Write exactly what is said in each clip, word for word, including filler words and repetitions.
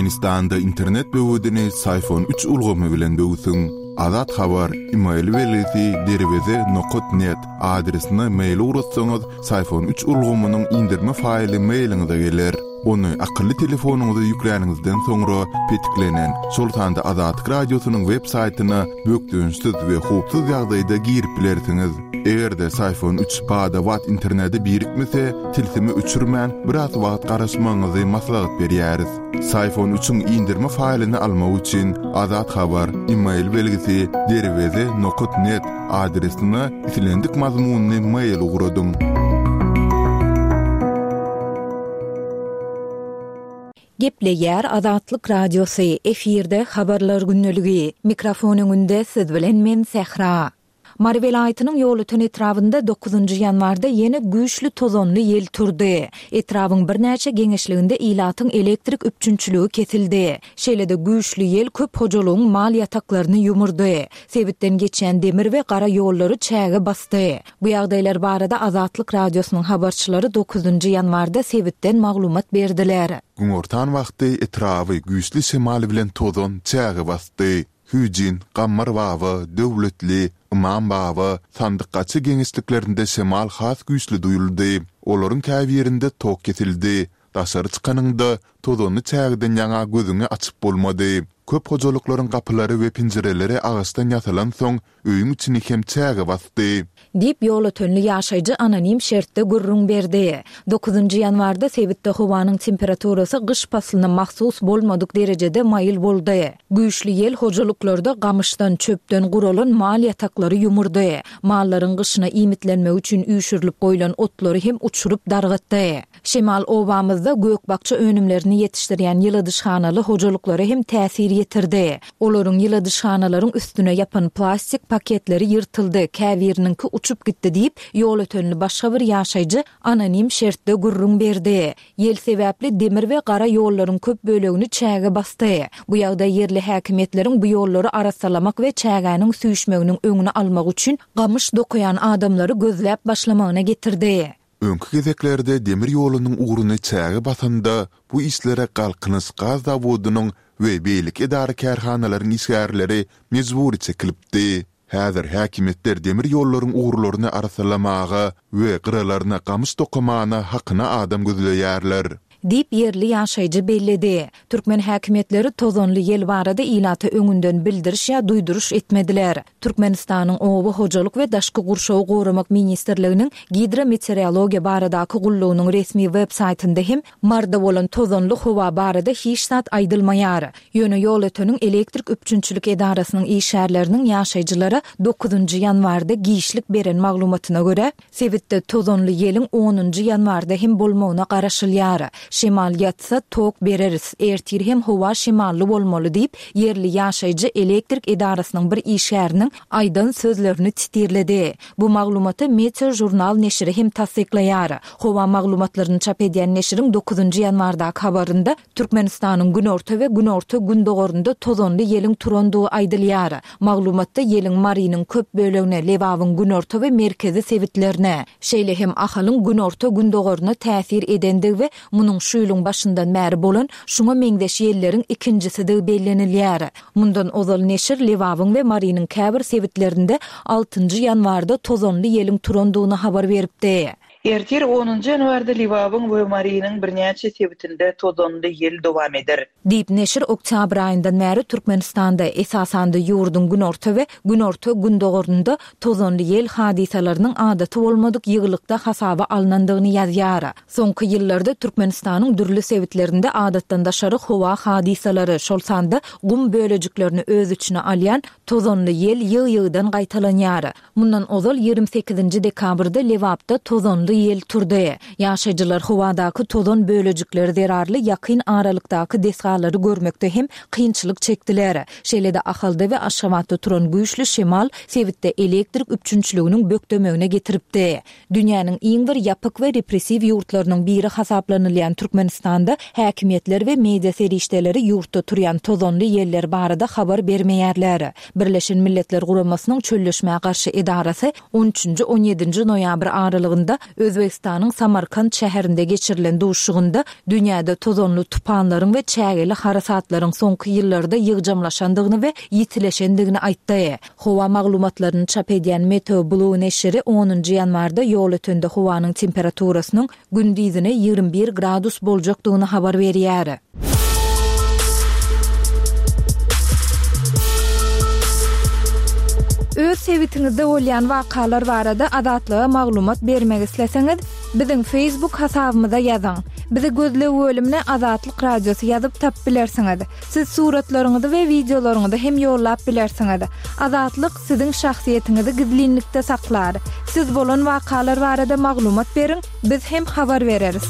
Türkmenistanda internet böwedini Syfon üç ulgamy bilen böwsüň. Azat Habar, email belgisi derweze nokat net adresine mail ugratsaňyz, Syfon üç ulgamynyň indirme faýly mailiňize geler. Ony akylly telefonyňyza ýükläniňizden soňra petiklenen, şol sanda Azatlyk Radiosynyň web saýtyna bökdençsiz we howpsuz ýagdaýda girip bilersiňiz. Eger-de Syfon üç bada-bat internete birikmese, tilsimi öçürmän biraz wagt garaşmagyňyzy maslahat berýäris. Syfon üçiň indirme faýlyny almak üçin Azat Habar, email belgisi derweze nokat net adresine islendik mazmunyny mail ugradyň. Gepleýär Azatlyk Radiosy, efirde habarlar gündeligi. Mikrofon öňünde siz bilen men Sähra. Mary welaýatynyň Ýolöten etrabynda dokuzynjy ýanwarda ýene güýçli tozanly ýel turdy. Etrabyň birnäçe geňeşliginde ilatyň elektrik üpjünçiligi kesildi. Şeýle-de güýçli ýel köp hojalygyň mal ýataklaryny ýumurdy. Sebitden geçýän demir we gara ýollary çäge basdy. Bu ýagdaýlar barada Azatlyk Radiosynyň habarçylary dokuzynjy ýanwarda sebitden maglumat berdiler. Günortan wagty etraby güýçli şemal bilen tozan çäge basdy. Hüjin, Gammar Baba, Döwletli, Imam Baba, Sandyk-Gaçy geňeşliklerinde şemal has güýçli duýuldy. Olaryň käbirinde tok kesildi. Daşary çykanyňda tozanly çägeden ýaňa gözüňi açyp bolmady. Köp hojalyklaryň gapylary we penjireleri agaçdan ýasalan soň öýüň içini hem çäge basdy. Diýip, Ýolötenli ýaşaýjy anonim şertde gürrüň berdi. Dokuzynjy ýanwarda sebitde howanyň temperaturasy gyş paslyna mahsus bolmadyk derejede maýyl boldy. Güýçli ýel hojalyklarda gamyşdan, çöpden guralan mal ýataklary ýumurdy. Mallaryň gyşyna iýmitlenmegi üçin üýşürilip goýlan otlary hem uçuryp dargatdy. Şemal obamyzda gök-bakja önümlerini ýetişdirýän ýyladyşhanaly hojalyklara hem täsir ýetirdi. Olaryň ýyladyşhanalaryň üstüne ýapan plastik paketleri ýyrtyldy, käbiriniňki uçup gitdi diýip, Ýolötenli başga bir ýaşaýjy anonim şertde gürrüň berdi. Ýel sebäpli demir we gara ýollaryň köp bölegini çäge basdy. Bu ýagdaý ýerli häkimiýetleriň bu ýollary arassalamak we çägäniň süýşmeginiň öňüni almak üçin gamyş dokaýan adamlary gözläp başlamagyna getirdi. Öňki gezeklerde demir ýolunyň ugruny çäge basanda bu işlere Galkynyş gaz zawodynyň we beýleki edara-kärhanalaryň işgärleri mejbury çekilipdi. Häzir häkimiýetler demir ýollaryň ugurlaryny arassalamaga we gyralaryna gamyş dokamana hakyna adam gözleýärler. Diýip, ýerli ýaşaýjy belledi. Türkmen häkimiýetleri tozanly ýel barada ilata öňünden bildiriş ýa duýduryş etmediler. Türkmenistanyň Oba hojalyk we daşky gurşawy goramak ministrliginiň Gidrometeorologiýa baradaky gullugynyň resmi web saýtynda hem Marda bolan tozanly howa barada hiç zat aýdylmaýar. Ýöne Ýolöteniň elektrik üpjünçilik edarasynyň işgärleriniň ýaşaýjylara dokuzynjy ýanwarda giçlik beren maglumatyna görä, sebitde tozanly ýeliň onunjy ýanwarda hem bolmagyna garaşylýar. Şemal ýatsa, tok bereris, ertir hem howa şemally bolmaly diýip, ýerli ýaşaýjy elektrik edarasynyň bir işgäriniň aýdan sözlerini titirledi. Bu maglumaty Meteožurnal neşiri hem tassyklaýar. Howa maglumatlaryny çap edýän neşiriň dokuzynjy ýanwardaky habarynda Türkmenistanyň günorta we günorta-gündogarynda tozanly ýeliň turandygy aýdylýar. Maglumatda ýeliň Marynyň köp bölegine, Lebabyň günorta we merkezi sebitlerine, şeýle hem Ahalyň günorta-gündogaryna täsir edendigi we munuň şu ýylyň başyndan bäri bolan şuňa meňzeş ýelleriň ikinjisidigi bellenilýär. Mundan ozal neşir Lebabyň we Marynyň käbir sebitlerinde altynjy ýanwarda tozanly ýeliň turandygyny habar beripdi. Ertir onunjy ýanwarda Lebabyň we Marynyň birnäçe sebitinde tozanly ýel dowam eder. Diýip, neşir oktýabr aýyndan bäri Türkmenistanda, esasan-da ýurduň günorta we günorta-gündogarynda tozanly ýel hadysalarynyň adaty bolmadyk ýygylykda hasaba alnandygyny ýazýar. Soňky ýyllarda Türkmenistanyň dürli sebitlerinde adatdan daşary howa hadysalary, şol sanda gum bölejiklerini öz içine alýan tozanly ýel ýygy-ýygydan gaýtalanýar. Mundan ozal ýigrimi sekizinji dekabrda Lebapda tozanly ýel turdy. Ýaşaýjylar howadaky tozan bölejikleri zerarly ýakyn aralykdaky desgalary görmekde hem kynçylyk çekdiler. Şeýle-de Ahalda we Aşgabatda turan güýçli şemal sebitde elektrik üpjünçiliginiň bökdemegine getiripdi. Dünýäniň iň bir ýapyk we repressiw ýurtlarynyň biri hasaplanylýan Türkmenistanda häkimiýetler we media serişdeleri ýurtda turýan tozanly ýeller barada habar bermeýärler. Birleşen Milletler Guramasynyň Çölleşmä garşy edarasy on üçünji, on ýedinji noýabr aralygynda Özbegistanyň Samarkant şäherinde geçirilen duşuşygynda dünýäde tozanly tupanlaryň we çägeli harasatlaryň soňky ýyllarda ýygjamlaşandygyny we ýitileşendigini aýtdy. Howa maglumatlaryny çap edýän Meteo Blue neşiri onunjy ýanwarda Ýolötende howanyň temperaturasynyň gündizine ýigrimi bir gradus boljakdygyny habar berýär. Öz sebitiňizde bolýan wakalar barada Azatlyga maglumat bermek isleseňiz, biziň Facebook hasabymyza ýazyň. Bizi gözleg bölümine Azatlyk Radiosy ýazyp tapyp bilersiňiz. Siz suratlaryňyzy we wideolaryňyzy hem ýollap bilersiňiz. Azatlyk siziň şahsyýetiňizi gizlinlikde saklar. Siz bolan wakalar barada maglumat beriň, biz hem habar bereris.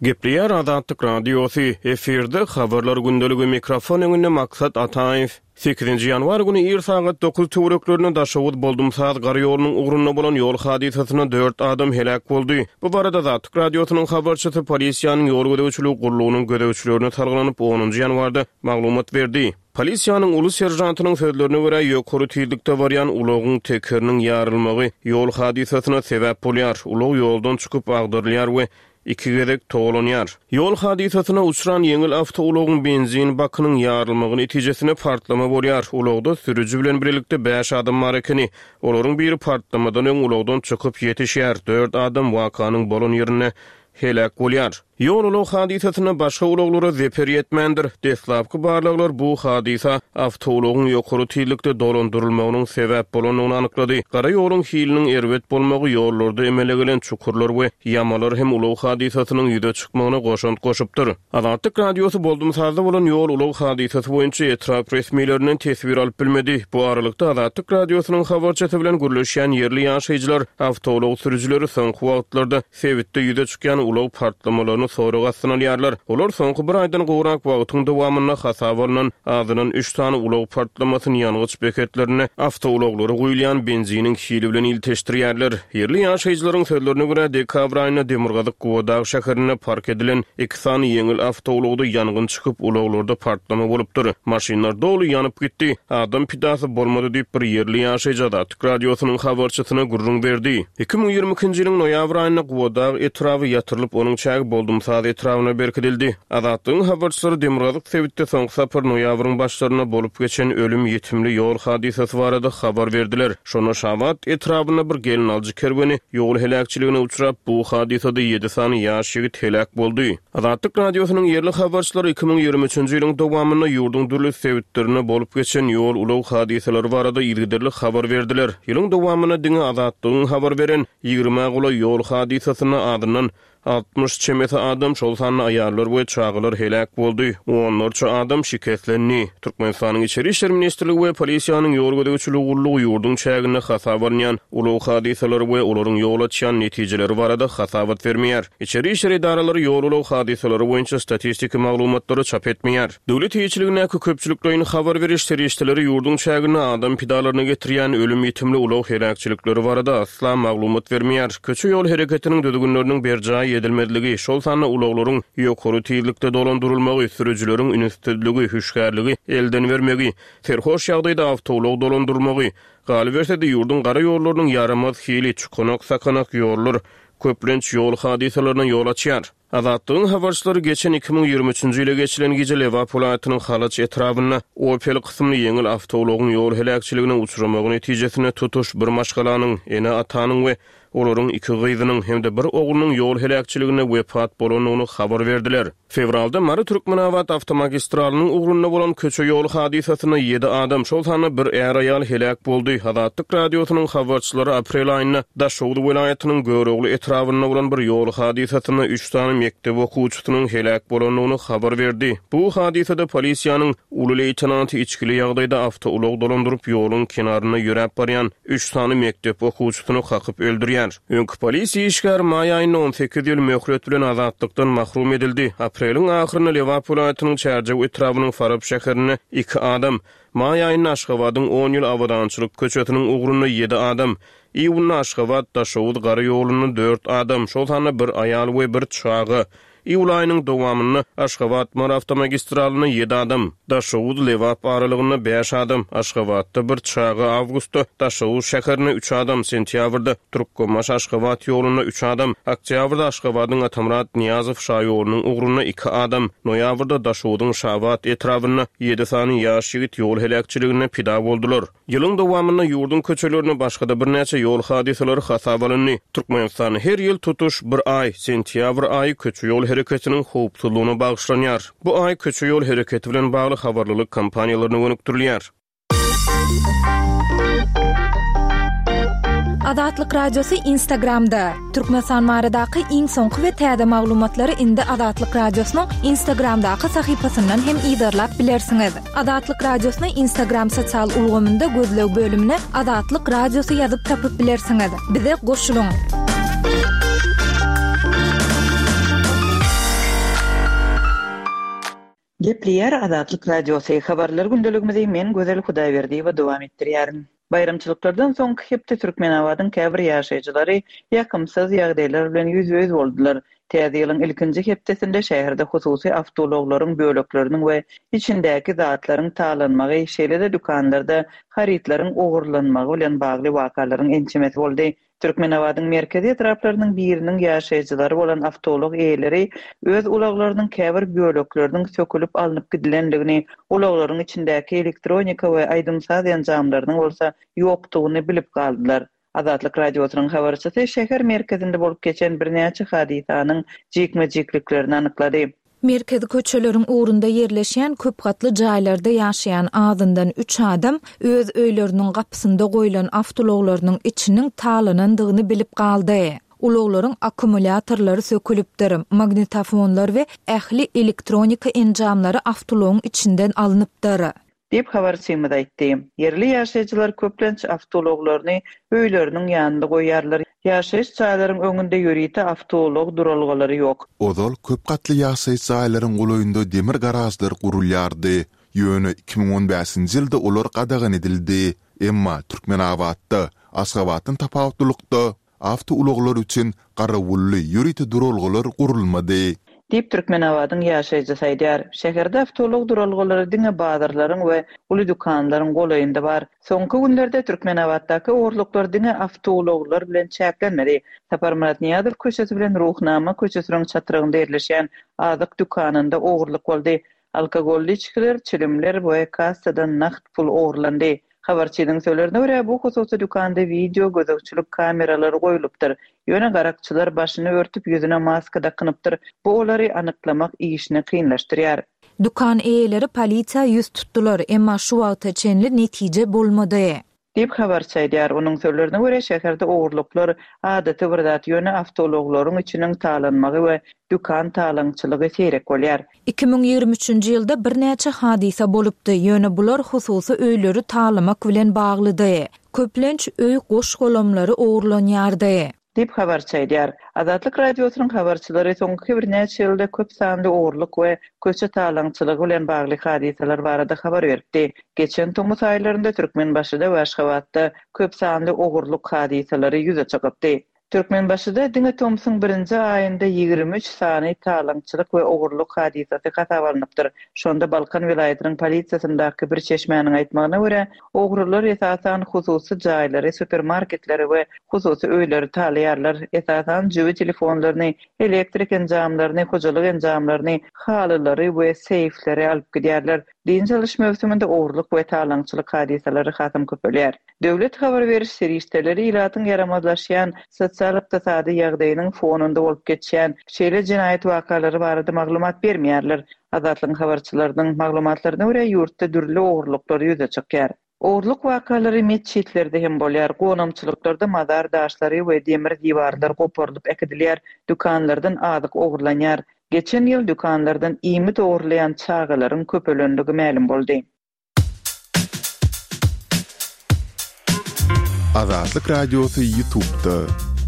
Gepleýär Azatlyk Radiosy, efirde habarlar gündeligi, mikrofon öňünde Maksat Ataýew. Sekizinji ýanwar güni ir sagat dokuz töwereklerinde Daşoguz Boldumsaz gar ýolunyň ugrunda bolan ýol hadysasynda dört adam heläk boldy. Bu barada Azatlyk Radiosynyň habarçysy polisiýanyň ýol gözegçiligi gullugynyň gözegçilerine salgylanyp onunjy ýanwarda maglumat berdi. Polisiýanyň uly serjantynyň sözlerine görä ýokary tizlikde barýan ulagyň tekeriniň ýarylmagy ýol hadysasyna sebäp bolýar. Ulag ýoldan çykyp agdarylýar we iki gezek togalanýar. Ýol hadysasyna uçran ýeňil awtoulagyň benzin bakynyň ýarylmagy netijesinde partlama bolýar. Ulagda sürüji bilen birlikde bäş adam bar ekeni. Olaryň biri partlamadan öň ulagdan çykyp ýetişýär. Dört adam wakanyň bolan ýerinde heläk bolýar. Ýol ulag hadysasynda başga ulaglara zeper ýetmändir. Deslapky barlaglar bu hadysa awtoulagyň ýokary tizlikde dolandyrylmagynyň sebäp bolandygyny anyklady. Gara ýoluň hiliniň erbet bolmagy ýollarda emele gelen çukurlar we ýamalar hem ulag hadysasynyň ýüze çykmagyna goşant goşupdyr. Azatlyk Radiosy Boldumsazda bolan ýol ulag hadysasy boýunça etrap resmilerinden teswir alyp bilmedi. Bu aralykda Azatlyk Radiosynyň habarçysy bilen gürleşýän ýerli ýaşaýjylar awtoulag sürüjileri soňky wagtlarda sebitde ýüze çykýan ulag partlamalaryny sorag astyna alýarlar. Olar soňky bir aýdan gowrak wagtyň dowamynda hasaba alnan azyndan üç sany ulag partlamasyny ýangyç beketlerine awtoulaglara guýulýan benziniň hili bilen ilteşdirýärler. Ýerli ýaşaýjylaryň sözlerine görä dekabr aýynda Demirgazyk Gubadag şäherinde park edilen iki sany ýeňil awtoulagda ýangyn çykyp ulaglarda partlama bolupdyr. Maşynlar doly ýanyp gitdi. Adam pidasy bolmady diýip bir ýerli ýaşaýjy Azatlyk Radiosynyň habarçysyna gürrüň berdi. Iki müň ýigrimi ikinji ýylyň noýabr aýynda Gubadag etraby ýatyrylyp onuň çägi Boldumsaz etrabyna berkidildi. Azatlygyň habarçylary Demirgazyk sebitde soňky sapar noýabryň başlarynda bolup geçen ölüm ýetimli ýol hadysasy barada habar berdiler. Şonda Şabat etrabynda bir gelinaljy kerweni ýol heläkçiligine uçrap, bu hadysada ýedi sany ýaş ýigit heläk boldy. Azatlyk Radiosynyň ýerli habarçylary iki müň ýigrimi üçünji ýylyň dowamynda ýurduň dürli sebitlerinde bolup geçen ýol ulag hadysalary barada yzygiderli habar berdiler. Ýylyň dowamynda diňe Azatlygyň habar beren ýigrimi golaý ýol hadysasynda azyndan altmyş çemesi adam, şol sanda aýallar we çagalar heläk boldy. Onlarça adam şikeslendi. Türkmenistanyň Içeri İşler Ministrligi we polisiýanyň ýol gözegçiligi gullugy ýurduň çäginde hasaba alynýan ulag hadysalary we olaryň ýol açýan netijeleri barada hasabat bermeýär. Içeri İşler edaralary ýol ulag hadysalary boýunça statistiki maglumatlary çap etmeýär. Döwlet eýeçiligindäki köpçülikleýin habar beriş serişdeleri ýurduň çäginde adam pidalaryna getirýän ölüm ýetimli ulag heläkçilikleri barada asla maglumat bermeýär. Köçe ýol hereketiniň düzgünleriniň berjaý edilmezligi, şol sanda ulaglaryň ýokary tizlikde dolandyrylmagy, sürüjileriň ünssüzligi, hüşgärligi elden bermegi, serhoş ýagdaýda awtoulag dolandyrmagy, galyberse-de ýurduň gara ýollarynyň ýaramaz hili, çukanak sakanak ýollar köplenç ýol hadysalaryna ýol açýar. Azatlygyň habarçylary geçen iki müň ýigrimi üçünji ýyla geçilen gije Lebap welaýatynyň Halaç etrabynda Opel kysymly ýeňil awtoulagyň ýol heläkçiligine uçramagy netijesinde tutuş bir maşgalanyň, ene-atanyň we olaryň iki gyzynyň hem-de bir oglunyň ýol heläkçiligine wepat bolandygyny habar berdiler. Fewralda Mary Türkmenabat awtomagistralynyň ugrunda bolan köçe ýol hadysasynda ýedi adam, şol sanda bir är-aýal heläk boldy. Azatlyk Radiosynyň habarçylary aprel aýynda Daşoguz welaýatynyň Görogly etrabynda bolan bir ýol hadysasynda üç sany mekdep okuwçysynyň heläk bolandygyny habar berdi. Bu hadysada polisiýanyň uly leýtenanty içkili ýagdaýda awtoulag dolandyryp ýoluň kenarynda ýöräp barýan üç sany mekdep okuwçysyny kakyp öldürýär. Öňki polisiýa işgäri maý aýynda on sekiz ýyl möhlet bilen azatlykdan mahrum edildi. Apreliň ahyrynda Lebap welaýatynyň Çärjew etrabynyň Farap şäherinde iki adam, maý aýynda Aşgabadyň on ýyl abadançylyk köçesiniň ugrunda ýedi adam, iýunda Aşgabat Daşoguz gara ýolunda dört adam, şol sanda bir aýal we bir çaga, Iýul aýynyň dowamynda Aşgabat-Mary awtomagistralynda ýedi adam, Daşoguz-Lebap aralygynda bäş adam, Aşgabatda bir çaga, awgustda Daşoguz şäherinde üç adam, sentýabrda Türkmenbaşy-Aşgabat ýolunda üç adam, oktýabrda Aşgabadyň Atamyrat Nyýazow şaýolunyň ugrunda iki adam, noýabrda Daşoguzyň Şabat etrabynda ýedi sany ýaş ýigit ýol heläkçiliginde pida boldular. Ýylyň dowamynda ýurduň köçelerinde başga-da birnäçe ýol hadysalary hasaba alyndy. Türkmenistan her ýyl tutuş bir aý, sentýabr aýy köçe ýol hereketiniň howpsuzlygyna bagyşlanýar. Bu aý köçe ýol hereketi bilen bagly habarlylyk kampaniýalaryna gönükdirilýär. Azatlyk Radiosy Instagramda. Türkmenistan baradaky iň soňky we täze maglumatlary indi Azatlyk Radiosynyň Instagramdaky sahypasyndan hem yzarlap bilersiňiz. Azatlyk Radiosyny Instagram sosial ulgamynda gözleg bölümine Azatlyk Radiosy ýazyp tapyp bilersiňiz. Bize goşulyň. Gepleýär Azatlyk Radiosy. Habarlar gündeligimizi men Gözel Hudaýberdiýewa dowam etdirýärin. Baýramçylyklardan soňky hepde Türkmenabadyň käbir ýaşaýjylary ýakymsyz ýagdaýlar bilen ýüzbe-ýüz boldular. Täze ýylyň ilkinji hepdesinde şäherde hususy awtoulaglaryň bölekleriniň we içindäki zatlaryň talanmagy, şeýle-de dükanlarda harytlaryň ogurlanmagy bilen bagly wakalaryň ençemesi boldy. Türkmenabadyň merkezi etraplarynyň biriniň ýaşaýjylary bolan awtoulag eýeleri öz ulaglarynyň käbir bölekleriniň sökülip alnyp gidilendigini, ulaglaryň içindäki elektronika we aýdym-saz enjamlarynyň bolsa ýokdugyny bilip galdylar. Azatlyk Radiosynyň habarçysy şäher merkezinde bolup geçen birnäçe hadysanyň jikme-jikliklerini anyklady. Merkezi köçeleriň ugrunda ýerleşýän köp gatly jaýlarda ýaşaýan azyndan üç adam öz öýleriniň gapysynda goýlan awtoulaglarynyň içiniň talanandygyny bilip galdy. Ulaglaryň akkumulýatorlary sökülipdir, magnitofonlar we ähli elektronika enjamlary awtoulagyň içinden alnypdyr. Diýip habarçymyz aýtdy. Ýerli ýaşaýjylar köplenç awtoulaglaryny öýleriniň ýanynda goýýarlar. Ýaşaýyş jaýlaryň öňünde ýörite awtoulag duralgalary ýok. Ozal köp gatly ýaşaýyş jaýlaryň golaýynda demir garažlar gurulýardy. Ýöne iki müň on bäşinji ýylda olar gadagan edildi. Emma Türkmenabatda, Aşgabatdan tapawutlylykda awtoulaglar üçin garawully ýörite duralgalar gurulmady. Diýip Türkmenabadyň ýaşaýjysy aýdýar. Şäherde awtoulag duralgalary diňe bazarlaryň we uly dükanlaryň golaýynda bar. Soňky günlerde Türkmenabatdaky ogurlyklar diňe awtoulaglar bilen çäklenmedi. Saparmyrat Nyýazow köçesi bilen Ruhnama köçesiniň çatrygynda ýerleşýän azyk dükanynda ogurlyk boldy. Alkogolly içgiler, çilimler we kassadan nagt pul ogurlandy. Habarçynyň sözlerine görä, bu hususy dükanda video gözegçilik kameralary goýlupdyr. Ýöne garakçylar başyny örtüp ýüzüne maska dakynypdyr. Bu olary anyklamak işini kynlaşdyrýar. Dükan eýeleri polisiýa ýüz tutdular, emma şu wagta çenli netije bolmady. Diýip habarçy aýdýar. Onuň sözlerine görä, şäherde ogurlyklar adaty bir zat, ýöne awtoulaglaryň içiniň talanmagy we dükan talaňçylygy seýrek bolýar. Iki müň ýigrimi üçünji ýylda birnäçe hadysa bolupdy, ýöne bular hususy öýleri talamak bilen baglydy. Köplenç öý goş-golamlary ogurlanýardy. Diýip habarçy aýdýar. Azatlyk Radiosynyň habarçylary soňky birnäçe ýylda köp sanly ogurlyk we köçe talaňçylygy bilen bagly hadysalar barada habar beripdi. Geçen tomus aýlarynda Türkmenbaşyda we Aşgabatda köp sanly ogurlyk hadysalary ýüze çykypdy. Türkmenbaşyda diňe tomsuň birinji aýynda ýigrimi üç sany talaňçylyk we ogurlyk hadysasy hasaba alnypdyr. Şonda Balkan welaýatynyň polisiýasyndaky bir çeşmäniň aýtmagyna görä, ogrular esasan hususy jaýlary, supermarketleri we hususy öýleri talaýarlar. Esasan jübi telefonlaryny, elektrik enjamlaryny, hojalyk enjamlaryny, halylary we seýfleri alyp gidýärler. Dynç alyş möwsüminde ogurlyk we talaňçylyk hadysalary hasam köpelýär. Döwlet habar beriş serişdeleri ilatyň ýaramazlaşýan sosial-ykdysady ýagdaýynyň fonunda bolup geçýän şeýle jenaýat wakalary barada maglumat bermeýärler. Azatlygyň habarçylarynyň maglumatlaryna görä, ýurtda dürli ogurlyklar ýüze çykýar. Ogurlyk wakalary metjitlerde hem bolýar. Gonamçylyklarda mazar daşlary we demir diwarlar goparylyp äkidilýär. Dükanlardan azyk ogurlanýar. Geçen ýyl dükanlardan iýmit ogurlaýan çagalaryň köpelenligi mälim boldy. Azatlyk Radiosy YouTube'da.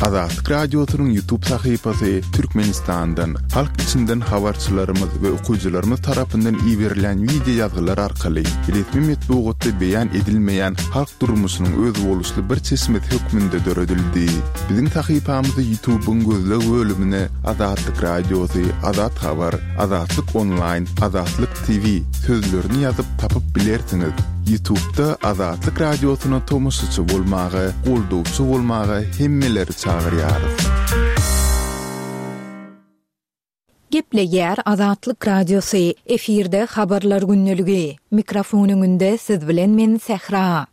Azatlyk Radiosynyň YouTube sahypasy Türkmenistandan, halk içinden habarçylarymyz we okyjylarymyz tarapyndan iberilen wideo ýazgylar arkaly resmi metbugatda beýan edilmeýän halk durmuşynyň özboluşly bir çeşmesi hökmünde döredildi. Biziň sahypamyzy YouTube'yň gözleg bölümine Azatlyk Radiosy, Azat Habar, Azatlyk Online, Azatlyk T V sözlerini ýazyp tapyp bilersiňiz. YouTube'da Azatlyk Radiosyna tomaşaçy bolmaga, goldawçy bolmaga hemmeleri çagyrýarys. Gepleýär Azatlyk Radiosy, efirde habarlar gündeligi. Mikrofon öňünde siz bilen men Sähra.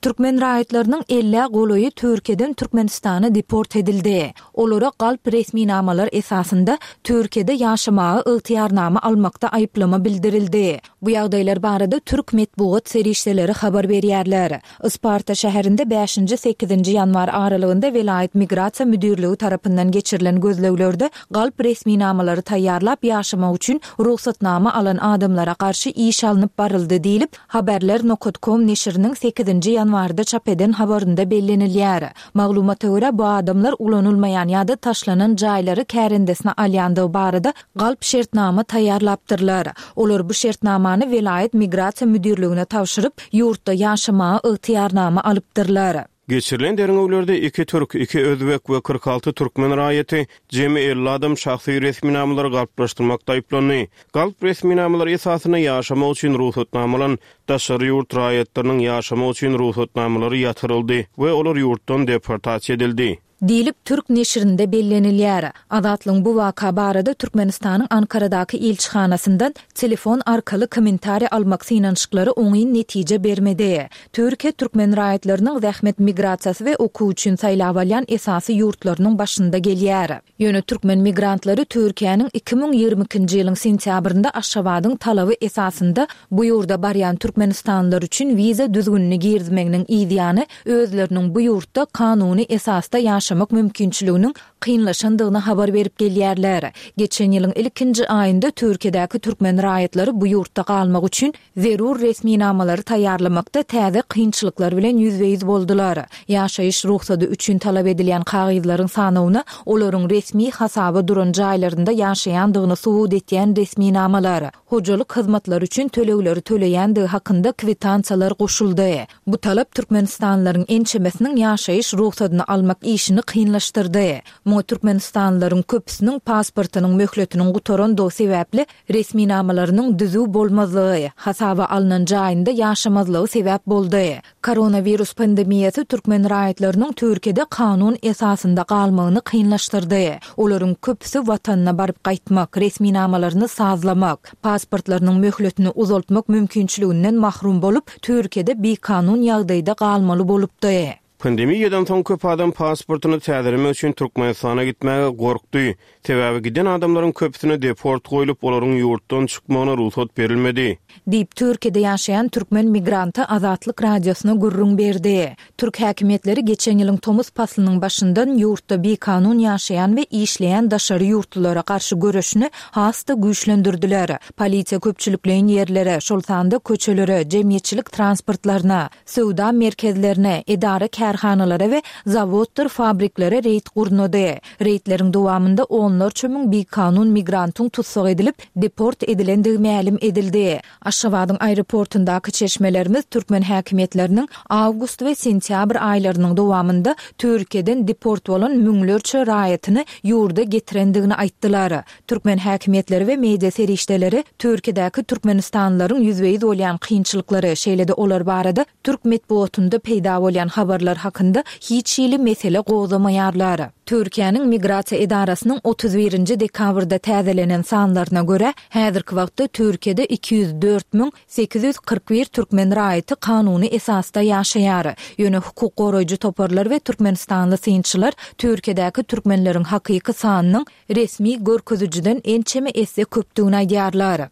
Türkmen raýatlarynyň ellä golaýy Türkiýeden Türkmenistana deport edildi. Olara galp resminamalar esasynda Türkiýede ýaşamaga ygtyýarnama almakda aýyplama bildirildi. Bu ýagdaýlar barada türk metbugat serişdeleri habar berýärler. Isparta şäherinde bäşinji sekizinji ýanwar aralygynda welaýat migrasiýa müdirligi tarapyndan geçirilen gözleglerde galp resminamalary taýýarlap ýaşamak üçin rugsatnama alan adamlara garşy iş alnyp baryldy diýlip, haberler nokta com neşiriniň sekizinji ýanwarda çap eden habarynda bellenilýär. Maglumata görä bu adamlar ulanylmaýan ýa-da taşlanan jaýlary kärendesine alýandygy barada galp şertnama taýýarlapdyrlar. Olar bu şertnamany welaýat migrasiýa müdirligine tabşyryp, ýurtda ýaşamaga ygtyýarnama alypdyrlar. Geçirilen derňewlerde iki türk, iki özbek we kyrk alty türkmen raýaty jemi elli adam şahsy resminamalary galplaşdyrmakda aýyplandy. Galp resminamalary esasynda ýaşamak üçin rugsatnamalan daşary ýurt raýatlarynyň ýaşamak üçin rugsatnamalary ýatyryldy we olar ýurtdan deportasiýa edildi. Diýlip türk neşirinde bellenilýär. Azatlygyň bu waka barada Türkmenistanyň Ankaradaky ilçihanasyndan telefon arkaly kommentariý almak synanyşyklary oňyn netije bermedi. Türkiýe türkmen raýatlarynyň zähmet migrasiýasy we okuw üçin saýlap alýan esasy ýurtlarynyň başynda gelýär. Ýöne türkmen migrantlary Türkiýäniň iki müň ýigrimi ikinji ýylyň sentýabrynda Aşgabadyň talaby esasynda bu ýurda barýan türkmenistanlylar üçin wiza düzgünini girizmeginiň ýany özleriniň bu ýurtda kanuny esasda ýaşamak mümkinçiliginiň kynlaşandygyny habar berip gelýärler. Geçen ýylyň ilkinji aýynda Türkiýedäki türkmen raýatlary bu ýurtda galmak üçin zerur resminamalary taýýarlamakda täze kynçylyklar bilen ýüzbe-ýüz boldular. Ýaşaýyş rugsady üçin talap edilýän kagyzlaryň sanawyna olaryň resmi hasaba duran jaýlarynda ýaşaýandygyny subut etýän resminamalar, hojalyk hyzmatlary üçin tölegleri töleýändigi hakynda kwitansiýalar goşuldy. Bu talap Türkmenistanlylaryň ençemesiniň ýaşaýyş rugsadyny almak işini kynlaşdyrdy. Muňa Türkmenistanlylaryň köpüsiniň pasportynyň möhletiniň gutarandygy sebäpli resminamalarynyň düzüw bolmazlygy, hasaba alnan jaýynda ýaşamazlygy sebäp boldy. Koronavirus pandemiýasy türkmen raýatlarynyň Türkiýede kanun esasynda galmagyny kynlaşdyrdy. Olaryň köpüsi watanyna baryp gaýtmak, resminamalaryny sazlamak, pasportlarynyň möhletini uzaltmak mümkinçiliginden mahrum bolup, Türkiýede bikanun ýagdaýda galmaly bolupdy. Pandemiýadan soň köp adam pasportyny täzelemek üçin Türkmenistana gitmäge gorkdy. Sebäbi giden adamlaryň köpüsine deport goýlup, olaryň ýurtdan çykmagyna rugsat berilmedi. Diýip Türkiýede ýaşaýan türkmen migranty Azatlyk Radiosyna gürrüň berdi. Türk häkimiýetleri geçen ýylyň tomus paslynyň başyndan ýurtda bikanun ýaşaýan we işleýän daşary ýurtlulara garşy göreşini has-da güýçlendirdiler. Polisiýa köpçülikleýin ýerlere, şol sanda köçelere, jemgyýetçilik transportlaryna, söwda merkezlerine, edara kärhanalara we zawoddyr fabriklere reýd gurnady. Reýdleriň dowamynda onlarça müň bikanun migrantyň tussag edilip, deport edilendigi mälim edildi. Aşgabadyň aeroportyndaky çeşmelerimiz türkmen häkimiýetleriniň awgust we sentýabr aýlarynyň dowamynda Türkiýeden deport bolan müňlerçe raýatyny ýurda getirendigini aýtdylar. Türkmen häkimiýetleri we media serişdeleri Türkiýedäki türkmenistanlylaryň ýüzbe-ýüz bolýan kynçylyklary, şeýle-de olar barada türk metbugatynda peýda bolýan habarlar hakynda hiç hili mesele gozgamaýarlar. Türkiýäniň migrasiýa edarasynyň otuz birinji dekabrda täzelenen sanlaryna görä, häzirki wagtda Türkiýede iki ýüz dört müň sekiz ýüz kyrk bir türkmen raýaty kanuny esasda ýaşaýar. Ýöne hukuk goraýjy toparlar we türkmenistanly synçylar Türkiýedäki türkmenleriň hakyky sanynyň resmi görkezijiden ençeme esse köpdügini aýdýarlar.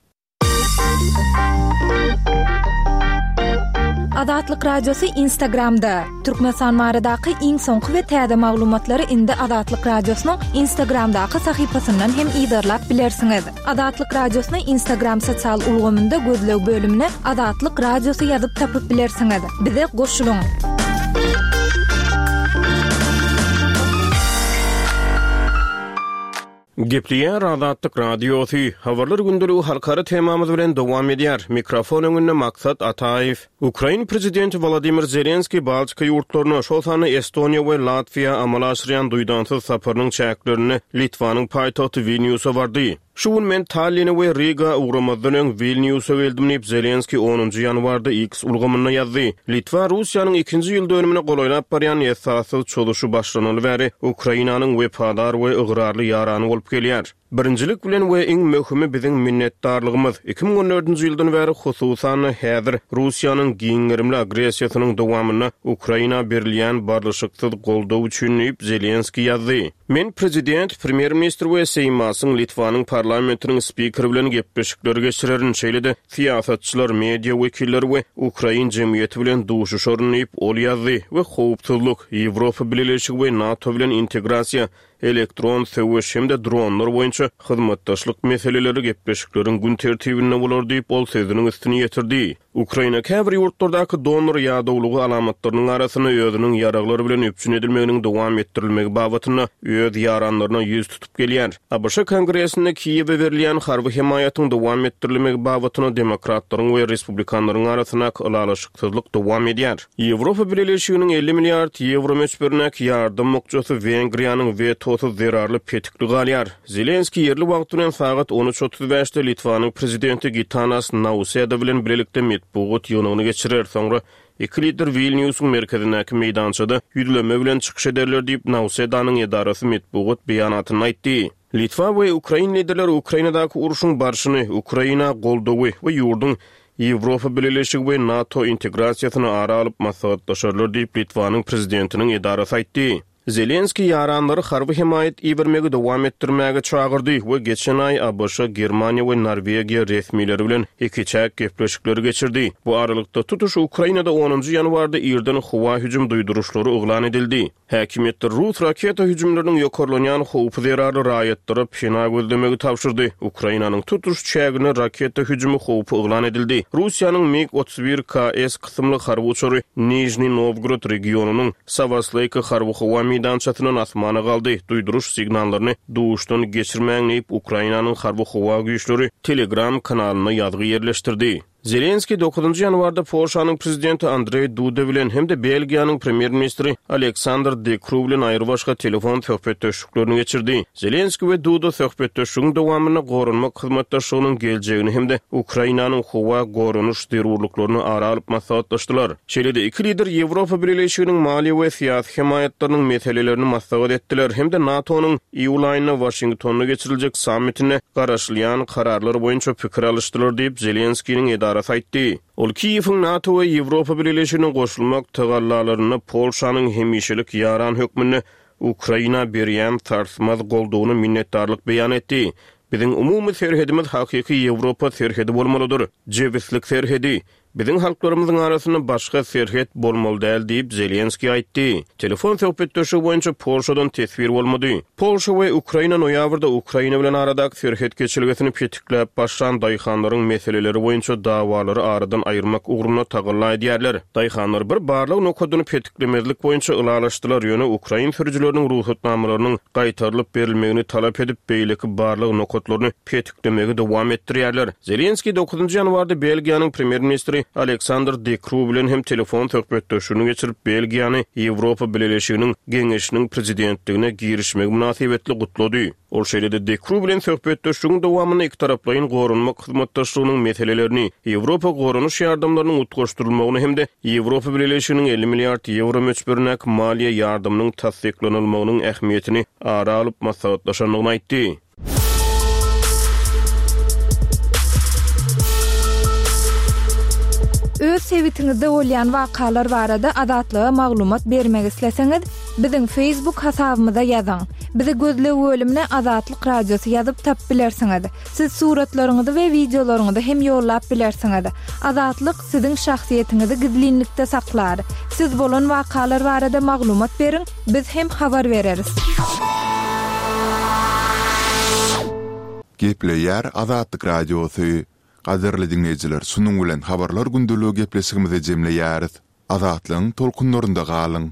Azatlyk Radiosy Instagramda. Türkmenistan baradaky iň soňky we täze maglumatlary indi Azatlyk Radiosynyň Instagramdaky sahypasyndan hem yzarlap bilersiňiz. Azatlyk Radiosyny Instagram sosial ulgamynda gözleg bölümine Azatlyk Radiosy ýazyp tapyp bilersiňiz. Bize goşulyň. Gepleýär Azatlyk Radiosy, Habarlar gündeligi halkara temamyz bilen dowam edýär. Mikrofon öňünde Maksat Ataýew. Ukrain prezidenti Wolodymyr Zelenskiý Baltika ýurtlaryna, şol sanda Estoniýa we Latwiýa amala aşyrýan duýdansyz saparynyň çäklerinde Litwanyň paýtagty Wilnýusa bardy. Şu gün men Talline we Riga ugramazdan öň Wilnýusa geldim diýip, Zelenskiý onunjy ýanwarda X ulgamynda ýazdy. Litwa Russiýanyň ikinji ýyl dönümine golaýlap barýan esassyz çozuşy başlanaly bäri Ukrainanyň wepadar we ygrarly ýarany bolup gelýär. Birinjilik bilen we iň möhümi biziň minnetdarlygymyz, iki müň on dördünji ýyldan bäri, hususan-da häzir Russiýanyň giň gerimli agressiýasynyň dowamynda Ukraina berilýän barlyşyksyz goldaw üçin diýip, Zelenskiý ýazdy. Men prezident, premýer-ministr we Seýmasyň, Litwanyň parlamentiniň spikeri bilen gepleşikleri geçirerin, şeýle-de syýasatçylar, media wekilleri we ukrain jemgyýeti bilen duşuşaryn diýip, ol ýazdy we howpsuzlyk, Ýewropa Bileleşigi we NATO bilen integrasiýa, elektron söweş hem-de dronlar boýunça hyzmatdaşlyk meseleleri gepleşikleriň gün tertibinde bolar diýip, ol sözüniň üstüni ýetirdi. Ukraina käbir ýurtlardaky donor ýadawlygy alamatlarynyň arasynda özüniň ýaraglar bilen üpjün edilmeginiň dowam etdirilmegi babatynda öz ýaranlaryna ýüz tutup gelýär. ABŞ Kongresinde Kiýewe berilýän harby hemaýatyň dowam etdirilmegi babatynda demokratlaryň we respublikanlaryň arasyndaky ylalaşyksyzlyk dowam edýär. Ýewropa Bileleşiginiň elli milliard ýewro möçberindäki ýardam bukjasy Wengriýanyň wetosy zerarly petikli galýar. Zelenskiý ýerli wagt bilen sagat on üç otuz bäşde Litwanyň prezidenti Gitanas Nauseda bilen bilelikde metbugat ýygnagyny geçirer. Soňra iki lider Wilnýusyň merkezindäki meýdançada ýüzlenme bilen çykyş ederler diýip, Nausedanyň edarasy metbugat beýanatynda aýtdy. Litwa we ukrain liderleri Ukrainadaky urşuň barşyny, Ukraina goldawy we ýurduň Ýewropa Bileleşigi we NATO integrasiýasyny ara alyp maslahatlaşarlar diýip, Litwanyň prezidentiniň edarasy aýtdy. Zelenskiý ýaranlary harby hemaýat ibermegi dowam etdirmäge çagyrdy we geçen aý ABŞ, Germaniýa we Norwegiýa resmileri bilen ikiçäk gepleşikleri geçirdi. Bu aralykda tutuş Ukrainada onunjy ýanwarda irden howa hüjüm duýduryşlary yglan edildi. Häkimiýetler rus raketa hüjümleriniň ýokarlanýan howpy zerarly raýatlara pena gözlemegi tabşyrdy. Ukrainanyň tutuş çägine raketa hüjümi howpy yglan edildi. Russiýanyň MiG otuz bir K S kysymly harby uçary Nijniý Nowgorod regionynyň Sawasleýka harby howa meýdançasyndan asmana galdy. Duýduryş signallaryny duşdan geçirmäň diýip, Ukrainanyň harby howa güýçleri Telegram kanalynda ýazgy ýerleşdirdi. Zelenskiý dokuzynjy ýanwarda Polşanyň prezidenti Andreý Duda bilen hem-de Belgiýanyň premýer-ministri Aleksandr De Kru bilen aýrybaşga telefon söhbetdeşliklerini geçirdi. Zelenskiý we Duda söhbetdeşligiň dowamynda goranmak hyzmatdaşlygynyň geljegini hem-de Ukrainanyň howa goranyş zerurlyklaryny ara alyp maslahatlaşdylar. Şeýle-de iki lider Ýewropa Bileleşiginiň maliýe we syýasy hemaýatlarynyň meselelerini maslahat etdiler hem-de NATO-nyň iýul aýynda Waşingtonda geçiriljek sammitinde garaşylýan kararlar boýunça pikir alyşdylar diýip, Zelenskiniň edarasy aýtdy. Ol Kiýewiň NATO we Ýewropa Bileleşigine goşulmak tagallalarynda Polşanyň hemişelik ýaran hökmünde Ukraina berýän sarsmaz goldawyna minnetdarlyk beýan etdi. Biziň umumy serhedimiz hakyky Ýewropa serhedi bolmalydyr. Jebislik serhedi. Biziň halklarymyzyň arasynda başga serhet bolmaly däl diýip Zelenskiý aýtdy. Telefon söhbetdeşligi boýunça Polşadan teswir bolmady. Polşa we Ukraina noýabrda Ukraina bilen aradaky serhet geçelgesini petikläp başlan daýhanlaryň meseleleri boýunça dawalary aradan aýyrmak ugrunda tagalla edýärler. Daýhanlar bir barlag nokadyny petiklemezlik boýunça ylalaşdylar, ýöne ukrain sürüjileriniň rugsatnamalarynyň gaýtarylyp berilmegini talap edip, beýleki barlag nokatlaryny petiklemegi dowam etdirýärler. Zelenskiý dokuzynjy ýanwarda Belgiýanyň premýer-ministri Aleksandr De Kru bilen hem telefon söhbetdeşligini geçirip, Belgiýany Ýewropa Bileleşiginiň Geňeşiniň prezidentligine girişmegi mynasybetli gutlady. Ol şeýle-de De Kru bilen söhbetdeşligiň dowamynda iki taraplaýyn goranmak hyzmatdaşlygynyň meselelerini, Ýewropa goranyş ýardamlarynyň utgaşdyrylmagyny hem-de Ýewropa Bileleşiginiň elli milliard ýewro möçberindäki maliýe ýardamynyň tassyklanylmagynyň ähmiýetini ara alyp maslahatlaşandygyny aýtdy. Öz sebitiňizde bolýan wakalar barada Azatlyga maglumat bermek isleseňiz, biziň Facebook hasabymyza ýazyň. Bizi gözleg bölümine Azatlyk Radiosy ýazyp tap bilersiňiz. Siz suratlaryňyzy we wideolaryňyzy hem ýollap bilersiňiz. Azatlyk siziň şahsyýetiňizi gizlinlikde saklar. Siz bolan wakalar barada maglumat beriň, biz hem habar bereris. Gepleýär Azatlyk Radiosy. Gadyrly dinleýjiler, şunuň bilen habarlar gündeligi gepleşigimizi jemleýäris. Azatlygyň tolkunlarynda galyň.